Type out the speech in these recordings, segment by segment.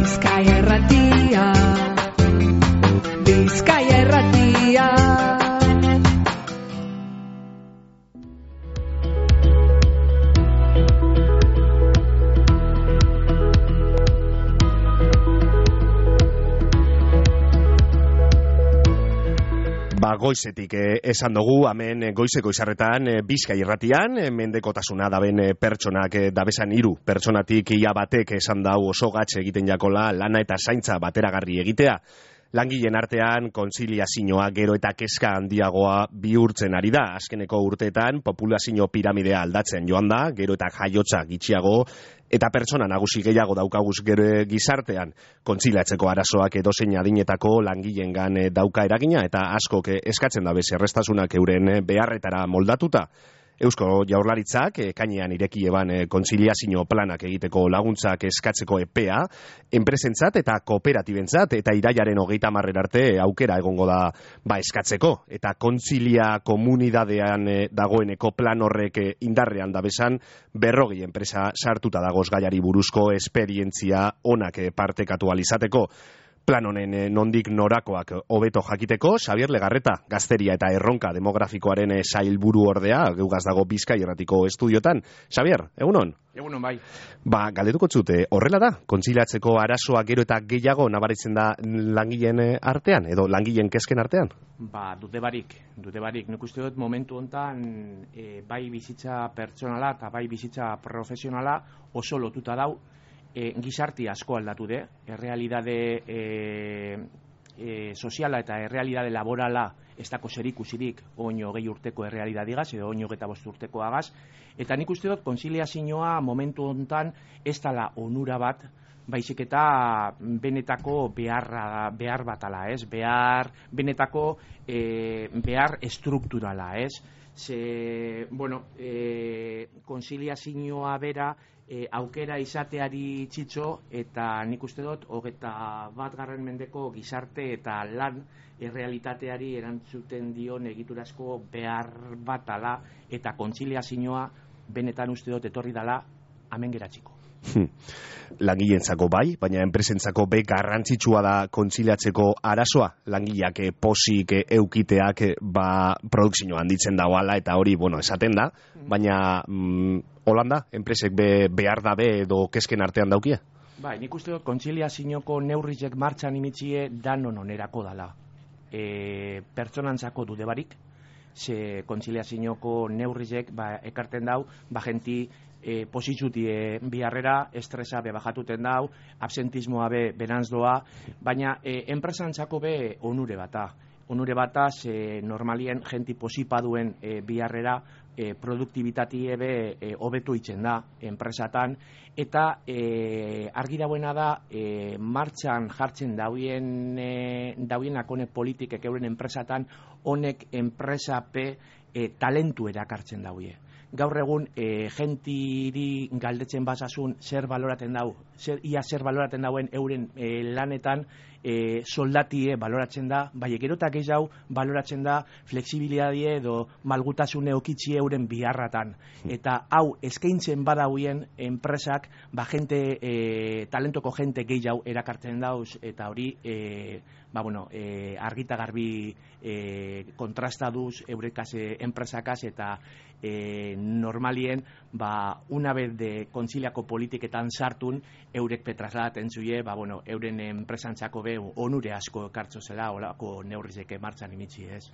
Bizkaia Irratia, Bizkaia Irratia. Goizetik esan dugu, hemen goizeko izarretan Bizkaia Irratian, mendekotasuna daben pertsonak dabesan 3 pertsonatik ia batek esan dau oso gatxe egiten jakola lana eta zaintza bateragarri egitea. Langileen artean kontziliazioa gero eta kezka handiagoa bihurtzen ari da. Azkeneko urteetan populazio piramidea aldatzen joan da, gero eta jaiotza gitxiago eta pertsona nagusi gehiago daukaguz gero gizartean. Kontziliatzeko arazoak edozein adinetako langileengan dauka eragina eta askok eskatzen dabe zerrestasunak euren beharretara moldatuta. Eusko Jaurlaritzak ekainean ireki eban kontziliazio planak egiteko laguntzak eskatzeko epea, enpresentzat eta kooperatibentzat eta irailaren 30 arte aukera egongo da eskatzeko. Eta kontzilia komunidadean dagoeneko plan horrek indarrean dabesan 40 enpresa sartuta dagoz gaiari buruzko esperientzia onak partekatu alizateko. Plan honen nondik norakoak hobeto jakiteko, Xabier Legarreta, gazteria eta erronka demografikoaren sailburu ordea, geugaz dago Bizkaia Irratiko estudiotan. Xabier, egunon? Egunon bai. Galdetuko zute, horrela da? Kontziliatzeko arazoa gero eta gehiago nabaritzen da langileen artean, edo langileen kezken artean? Dute barik. Nik uste dut momentu hontan bai bizitza pertsonala eta bai bizitza profesionala oso lotuta dau. Gizarti asko aldatu de, errealidade soziala eta errealidade laborala ez dako zerikusirik oin 20 urteko errealidadigaz edo oin 25 urteko agaz, eta nik uste dut kontziliazioa momentu hontan ez dala onura bat, baizik eta benetako behar batala, ez? Benetako behar estrukturala, ez? Kontziliazioa bera aukera izateari txitxo eta nik uste dut 21. mendeko gizarte eta lan errealitateari erantzuten dion egiturazko behar batala eta kontziliazioa benetan uste dut etorri dala hemen geratziko. Langileentzako bai, baina enpresentzako be garrantzitsua da kontziliatzeko arazoa. Langileak posik eukiteak produkzioa handitzen dagoala eta hori, esaten da, baina Holanda, enpresek behar dabe edo kezken artean daukie? Bai, nik uste dut kontziliazioko neurrizek martxan imitzie danon onerako dala. Pertsonantzako dude barik, ze kontziliazioko neurrizek ekarten dau, jenti positzutie biharrera, estresa bajatuten dau, absentismoa beranz doa, baina enpresantzako be onure bata. Onure bata, normalien jenti posipa duen biharrera, produktibitatie hobetu itzen da enpresatan, eta argi dauena da martxan jartzen dauienak honek politikek euren enpresatan, honek enpresape talentu erakartzen dauie. Gaur egun jentiri galdetzen basasun zer baloraten dauen euren lanetan soldatie baloratzen da, bai gero eta gehiago baloratzen da flexibilidadie edo malgutasune okitzi euren biharratan. Eta hau eskaintzen badauien enpresak talentoko jente gehiago erakartzen dauz eta hori argita garbi kontrastaduz eurekaz enpresakaz eta normalien una vez de kontziliako politiketan sartun eurek petrasladaten zuie euren enpresantzako onure asko ekartzo zela olako neurrizeke martxan imitzi, ez?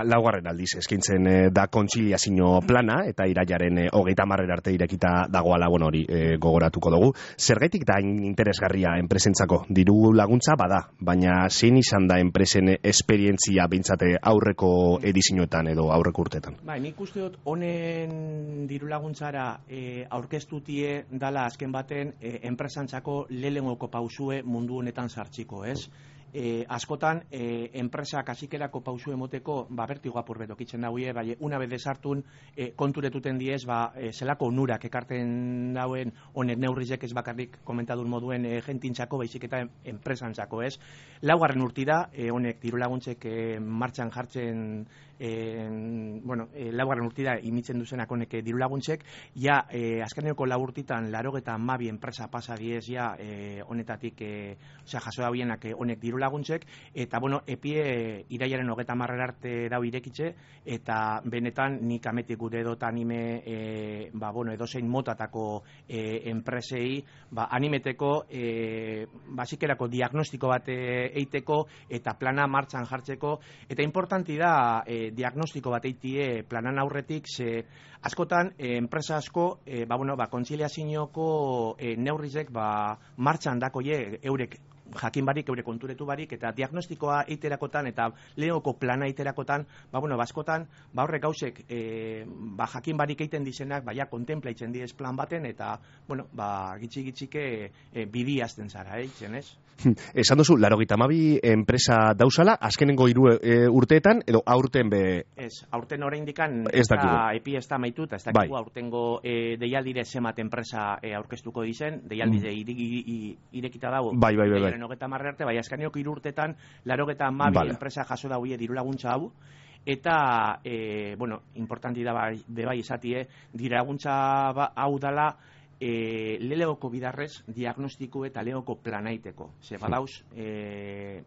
Laugarren aldiz eskaintzen da kontziliazio plana eta irailaren 30 arte irekita dagoala hori gogoratuko dugu. Zergaitik da interesgarria enpresentzako? Diru laguntza bada, baina zein izan da enpresen esperientzia behintzate aurreko edizioetan edo aurreko urteetan? Nik uste dut honen diru laguntzara aurkeztutie dala azken baten enpresantzako lehenengoko pausue mundu honetan sartziko, ez? askotan enpresak hasikerako pausu emoteko bertigo apur betokitzen dauie, bai una vez desartun konturetuten diez zelako onurak ekarten dauen honek neurrizek ez bakarrik komentadun moduen jentintzako baizik eta enpresantzako, ez? Laugarren urti da honek dirulaguntzek martxan jartzen laugarren urti da imitzen duzenak honek dirulaguntzek, ja azkeneko lau urtitan 82 enpresa pasa diez ja honetatik jaso dabienak honek dirulaguntzek, eta epie irailaren 30 arte dau irekitze, eta benetan nik ametik gure edota anime edozein motatako enpresei animeteko basikerako diagnostiko bat eiteko eta plana martxan jartzeko, eta importanti da diagnostiko bat eitie planan aurretik, ze askotan enpresa asko kontziliazioko neurrizek martxan dakoie eurek jakin barik, eure konturetu barik, eta diagnostikoa eiterakotan eta lehoko plana eiterakotan, askotan horrek gauzek jakin barik eiten dizenak, kontemplaitzen diez plan baten, eta gitxike bidi azten zara, ez? Esan duzu, 82 enpresa dauzala, azkenengo 3 urteetan, edo aurten be... Ez, aurten oraindikan epi ez da maituta, ez dakigu aurtengo deialdire zemat enpresa aurkeztuko dizen, deialdire irekita dago. Bai. 30 arte, azkeneko 3 urtetan 82 enpresa jaso dauie dirulaguntza hau, eta, importanti da bai izatie, dirulaguntza hau dala lehoko bidarrez diagnostiko eta lehoko planaiteko. Ze badauz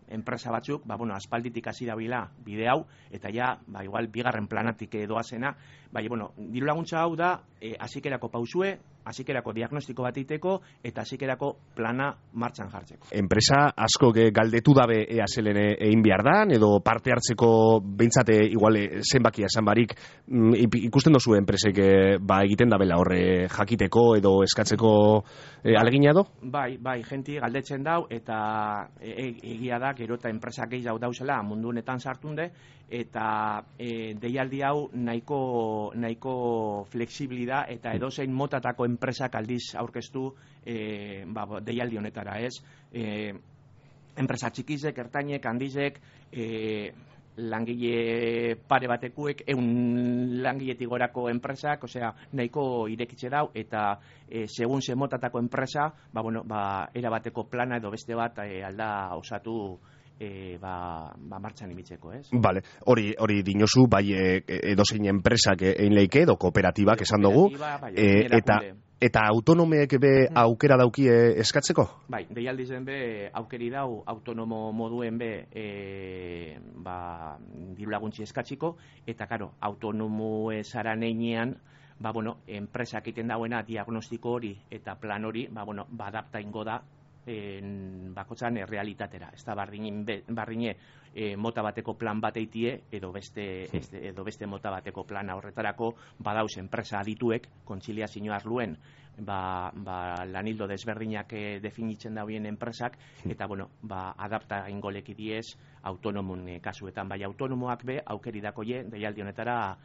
enpresa batzuk, aspalditik hasi dabila bide hau, eta ja, igual bigarren planatik doazena, dirulaguntza hau da hasikerako pausue, hasikerako diagnostiko bat iteko eta hasikerako plana martxan jartzeko. Enpresa asko galdetu dabe ea zelen egin behar dan, edo parte hartzeko behintzate igual zenbakia esan barik, ikusten dozu enpresek egiten dabela horre jakiteko edo eskatzeko alegina do? Bai, jenti galdetzen dau, eta egia da, gero eta enpresak gehiago dauzela mundu honetan sartunde, eta deialdi hau nahiko fleksibili da, eta edozein motatako enpresak aldiz aurkeztu deialdi honetara, ez? Enpresa txikizek, ertainek, handizek, langile pare batekuek, 100 langiletik gorako enpresak, nahiko irekitze dau, eta segun ze motatako enpresa, erabateko plana edo beste bat alda osatu martxan imitzeko, ez? Vale, hori dinozu, bai edozein enpresak egin leike, edo kooperatibak esan dugu, eta autonomeek be aukera daukie eskatzeko? Bai, deialdizen be aukeri dau autonomo moduen be dirulaguntzi eskatziko, eta karo, autonomo esaran einean, enpresak egiten dauena diagnostiko hori eta plan hori, adapta ingo da bakotzan realitatera. Ez da bardine mota bateko plan bat eitie, edo beste mota bateko plana horretarako badauz enpresa adituek, kontziliazio arluen, lanildo desberdinak definitzen dauen enpresak, eta adapta ingoleki diez autonomun kasuetan, bai autonomoak be aukeri dakoie deialdi honetara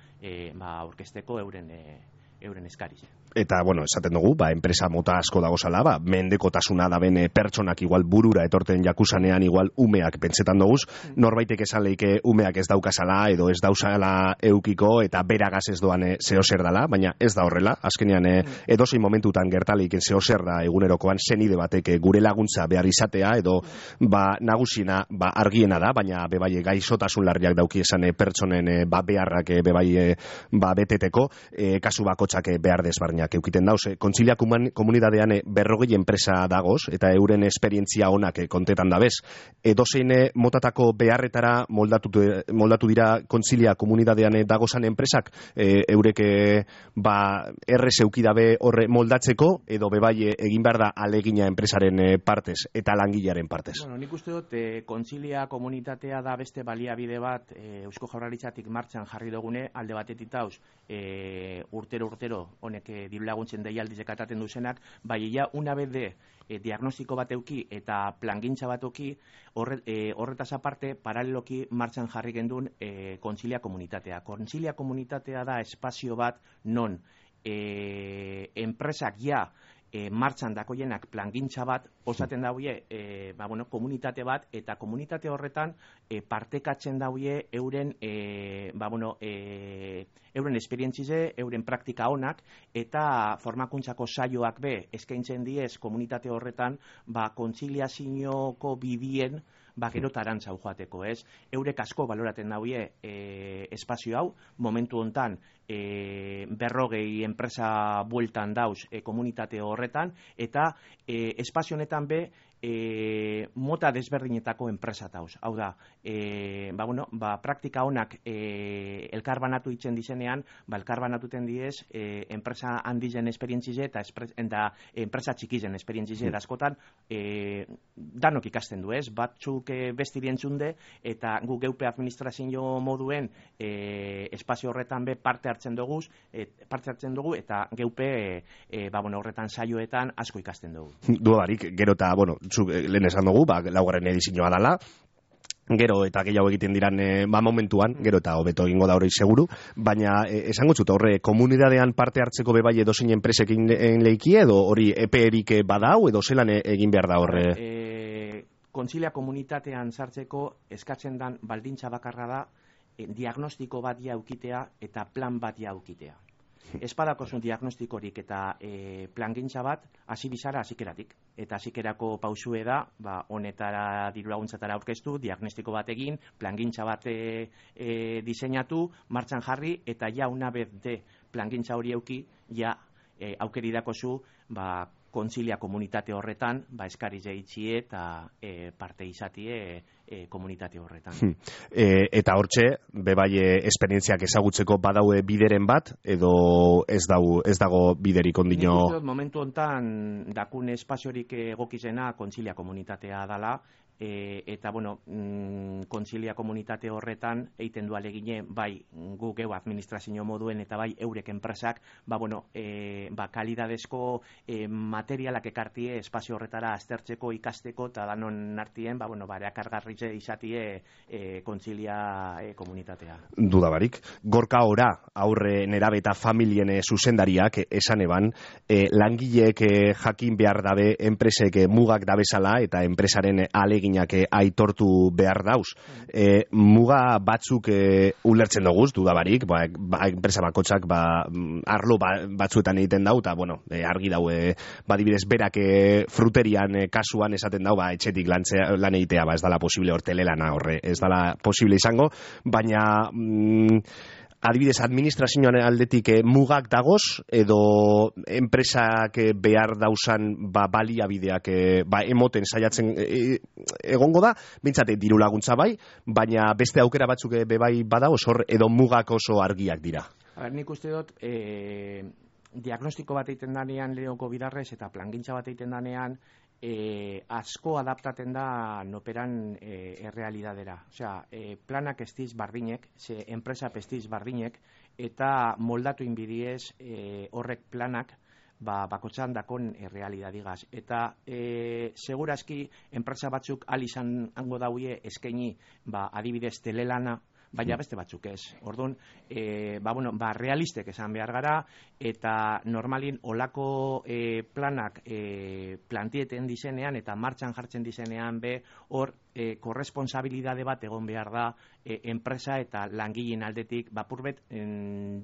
aurkezteko euren eskarize. Eta, esaten dugu, enpresa mota asko dagozala, mendekotasuna daben pertsonak igual burura etorten jakusanean igual umeak pentsetan doguz, norbaitek esan leike umeak ez daukazala edo ez dauzala eukiko eta beragaz ez doan zehozer dala, baina ez da horrela, azkenean edozein momentutan gertaleiken zehozer da egunerokoan zenide batek gure laguntza behar izatea edo nagusina argiena da, baina bebai gaizotasun larriak dauki esan pertsonen beharrak bebai beteteko, kasu bakotxak behar desbarniak eukiten dauz. Kontzilia komunidadean 40 enpresa dagoz, eta euren esperientzia onak kontetan dabez. Edozein motatako beharretara moldatu dira kontzilia komunidadean dagozan enpresak, eurek errez eukidabe horre moldatzeko, edo bebai egin behar da alegina enpresaren partez, eta langilearen partez. Nik uste dut, kontzilia komunitatea da beste baliabide bat Eusko Jaurlaritzatik martxan jarri dugune, alde batetik dauz, urtero honek dirulaguntzen deialdizek ataten duzenak, bai ja una vez de diagnostiko bat euki eta plangintza bat euki, horretaz aparte paraleloki martxan jarri gendun kontzilia komunitatea. Kontzilia komunitatea da espazio bat non enpresak ja martxan dakoienak plangintza bat osaten dauie komunitate bat, eta komunitate horretan partekatzen dauie euren euren esperientzize, euren praktika onak, eta formakuntzako saioak be eskaintzen diez komunitate horretan kontziliazioko bidien gero tarantzau joateko, ez? Eurek asko baloraten dauie espazio hau, momentu hontan 40 enpresa bueltan dauz komunitate horretan, eta espazio honetan be mota desberdinetako enpresa dauz. Hau da, praktika honak elkarbanatu itzen dizenean, elkarbanatuten diez enpresa handizen esperientzize eta enpresa txikizen esperientzize askotan danok ikasten du, ez? Batzuk bestirien txunde, eta gu geupe administrazio moduen espazio horretan be parte hartzen dugu, eta geupe horretan saioetan asko ikasten dugu. Dudarik, gero eta, lehen esan dugu, laugarren edizioa dala, gero eta gehiago egiten diran momentuan, gero eta hobeto egingo da hori seguru, baina esango zut, horre komunidadean parte hartzeko bebai edozein enpresekin leiki, edo hori EPE-erik badau, edo zelan egin behar da horre? Kontzilia komunitatean sartzeko eskatzen dan baldintza bakarra da diagnostiko bat jaukitea eta plan bat jaukitea. Espadakozun diagnostikorik eta plangintza bat hasi bizara hasikeratik. Eta hasikerako pausue da, honetara diru laguntzatara aurkeztu, diagnostiko bat egin, plangintza bat diseinatu, martxan jarri, eta ja una vez de plangintza hori euki, ja aukeri dakozu, kontzilia komunitate horretan, eskari jeitxie eta parte izatie komunitate horretan. Eta hortxe, bebai esperientziak ezagutzeko badaue bideren bat, edo ez dago biderik ondino? Nik momentu hontan dakun espaziorik egokizena kontzilia komunitatea dala, eta kontzilia komunitate horretan eiten du alegine bai gu geu administrazio moduen eta bai eurek enpresak kalidadezko materialak ekartie espazio horretara aztertzeko, ikasteko, eta danon artien erakargarritze izatie kontzilia komunitatea. Dudabarik. Gorka ora aurre nerabe eta familien zuzendariak esan eban, langileek jakin behar dabe enpresek mugak dabezala eta enpresaren alegin aitortu behar dauz. Muga batzuk ulertzen doguz, dudabarik, enpresa bakotxak arlo batzuetan egiten dau, eta argi dau, badibidez berak fruterian kasuan esaten dau, etxetik lan egitea, ez dala posible hortelelana horre, ez dala posible izango, baina adibidez, administrazioan aldetik mugak dagoz, edo enpresak behar dauzan baliabideak emoten saiatzen egongo da, bintzate diru laguntza bai, baina beste aukera batzuk bebai badagoz, hor edo mugak oso argiak dira. Nik uste dut, diagnostiko bat egiten danean leoko bidarrez eta plangintza bat egiten danean, asko adaptaten da noperan errealidadera. Osea, planak estiz bardinek, enpresa pestiz bardinek, eta moldatu inbidiez horrek planak bakotxan dakon errealidadigaz. Eta segurazki enpresa batzuk alizan hango dauie eskaini adibidez telelana, baina beste batzuk ez. Orduan, realistek esan behar gara, eta normalin olako planak plantieten dizenean eta martxan jartzen dizenean hor korresponsabilidade bat egon behar da enpresa eta langileen aldetik bapurbet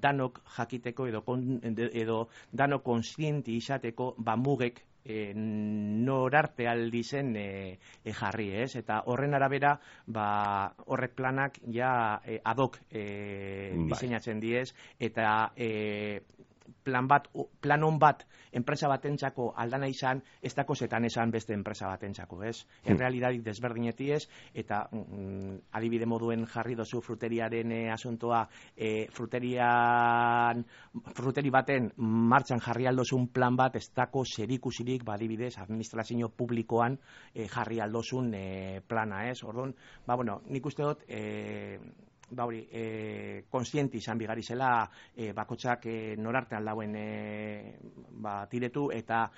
danok jakiteko edo danok konstienti izateko mugek norarte aldi zen jarri, ez? Eta horren arabera, horrek planak ja adok diseinatzen diez, eta plan on bat enpresa batentzako aldana izan, ez dako zetan esan beste enpresa batentzako, ez? Errealidadik desberdineti ez, eta adibide moduen jarri dozu fruteriaren asuntoa, fruteri baten martxan jarri aldozun plan bat, ez dako zerikusirik badibidez administrazio publikoan jarri aldozun plana, ez? Orduan, nik uste dut konstienti izan bigari zela bakotxak norartean dauen tiretu eta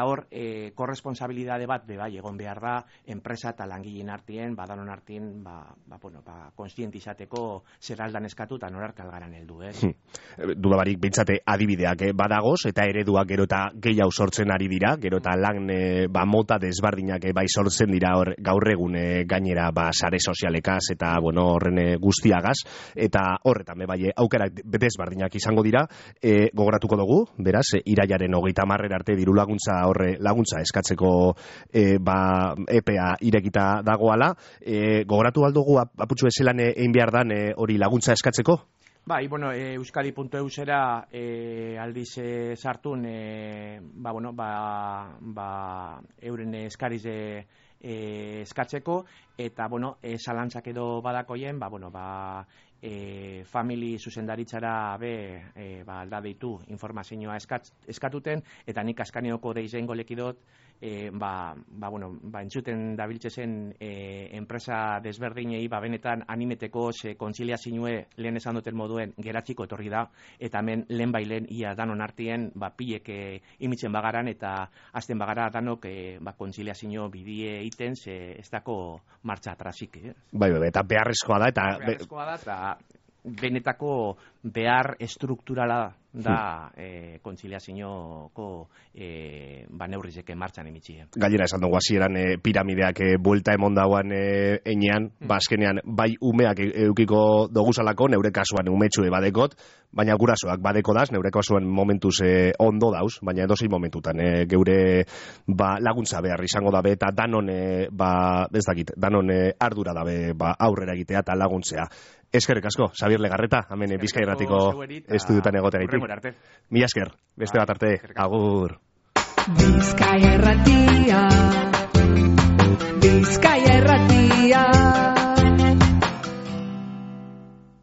hor korresponsabilidade bat bai egon behar da enpresa eta langileen artien, danon artien konstienti izateko zer aldan eskatu eta norarte algaran heldu, Duda barik, bintzate adibideak badagoz eta ereduak gero eta gehiago sortzen ari dira, gero eta lan mota desbardinak bai sortzen dira hor gaur egun gainera sare sozialekaz eta horren guztiagaz, eta horretan bai aukerak desbardinak izango dira. Gogoratuko dugu, beraz, irailaren 30 arte diru laguntza eskatzeko EPA irekita dagoala. Gogoratu aldugu aputxu ezelan egin behar dan hori laguntza eskatzeko? Bai, euskadi.eusera aldiz sartun euren eskariz eskatzeko eta zalantzak edo badakoien famili zuzendaritzara alda deitu informazioa eskatuten eta nik askaneoko deizen golekidot entzuten dabiltzezen enpresa desberdinei benetan animeteko kontziliazioe lehen esan duten moduen geratziko etorri da eta hemen lehen bailen ia danon artien pilek imitzen bagaran eta azten bagara danok kontziliazio bidie iten ez dako martxa atrasik. Bai, eta beharrezkoa da eta benetako behar estrukturala da kontziliazioko neurrizeke martxan emitxia. Gainera esan dugu hasieran piramideak buelta emon dauan enean, azkenean bai umeak eukiko doguzalako, neure kasuan umetxue badekot, baina gurasoak badeko daz, neure kasuan momentuz ondo dauz, baina edozein momentutan geure laguntza behar izango dabe eta danon danon ardura dabe aurrera egitea eta laguntzea. Eskerrik asko, Xabier Legarreta, hemen Bizkai Irratiko estudiotan egoteagaitik. Mila esker, beste bat arte, agur. Bizkai Irratia.